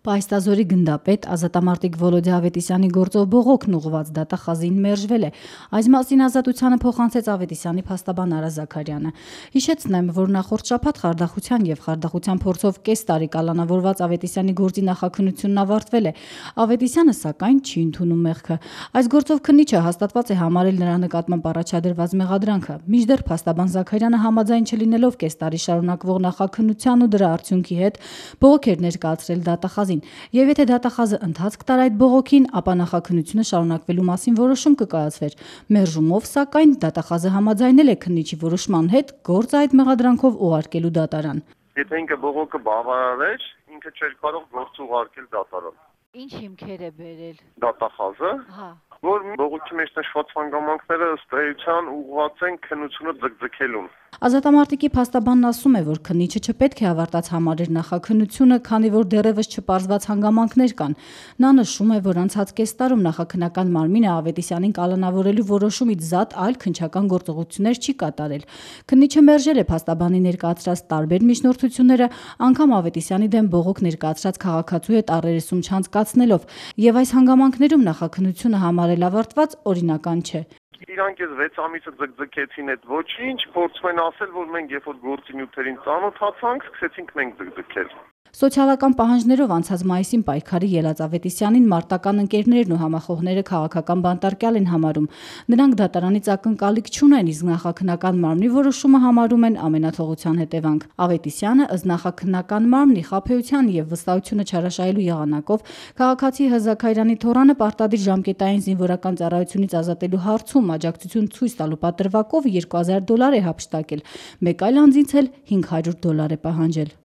Պահեստազորի գնդապետ ազատամարտիկ Վոլոդիա Ավետիսյանի գործով բողոքն ուղղված դատախազին մերժվել է։ Այս մասին Ազատությանը փոխանցեց Ավետիսյանի փաստաբան Արա Զաքարյանը։ Հիշեցնեմ, որ նախորդ շաբաթ խարդախության եւ խարդախության փորձով կես տարի կալանավորված Ավետիսյանի գործի նախաքննությունն ավարտվել է։ Ավետիսյանը սակայն չի ընդունում մեղքը։ Այս գործով քննիչը հաստատված է համարել նրա նկատմամբ առաջադրված մեղադրանքը։ Մինչդեռ փաստաբան Զաքարյանը համաձայն չլինելով կես տարի շարունակվող նախաքննության ու դրա արդյունքի հետ բողոք էր ներկայացրել դատախազին։ Եվ եթե դատախազը ընթացք տար այդ բողոքին, ապա նախաքննությունը շարունակվելու մասին որոշում կկայացվեր։ Մերժումով, սակայն, դատախազը համաձայնել է քննիչի որոշման հետ գործը այդ մեղադրանքով ուղարկելու դատարան։ Եթե ինքը բողոքը բավարար, ինքը չէր կարող գործ ուղարկել դատարան։ Ինչ հիմքեր է բերել Դատախազը, որ բողոքի մեջ նշված հանգամանքները ըստ էության ուղղված են քննությունը ձգձգելուն։ Ազատամարտիկի փաստաբանն ասում է, որ քննիչը չպետք է ավարտած համարեր նախաքննությունը, քանի որ դեռևս չպարզված հանգամանքներ կան։ Նա նշում է, որ անցած կես տարում նախաքննական մարմինը Ավետիսյանին կալանավորելու որոշումից զատ այլ քննչական գործողություններ չի կատարել։ Քննիչը մերժել է փաստաբանի ներկայացրած տարբեր միջնորդությունները, անգամ Ավետիսյանի դեմ բողոք ներկայացրած քաղաքացու հետ առերեսում չանցկացնելով, եւ այս հանգամանքներում նախաքննությունը համարել ավարտված օրինական չէ։ Իրանք ես 6 ամիսը ձգձգեցին այդ ոչինչ, փորձում են ասել, որ մենք երբ որ գործի նյութերին ծանոթացանք, սկսեցինք մենք ձգձգել։ Սոցիալական պահանջներով անցած մայիսին պայքարի ելած Ավետիսյանին մարտական ընկերներն ու համախոհները քաղաքական բանտարկյալ են համարում։ Նրանք դատարանից ակնկալիք չունեն, իսկ նախաքննական մարմնի որոշումը համարում են ամենաթողության հետևանք։ Ավետիսյանը ըստ նախաքննական մարմնի խաբեության եւ վստահությունը չարաշահելու եղանակով քաղաքացի Հզաքարյանի թոռանը պարտադիր ժամկետային զինվորական ծառայությունից ազատելու հարցում աջակցություն ցույց տալու պատրվակով $2000 է հափշտակել։ Մեկ այլ անձից էլ $500 է պահանջել։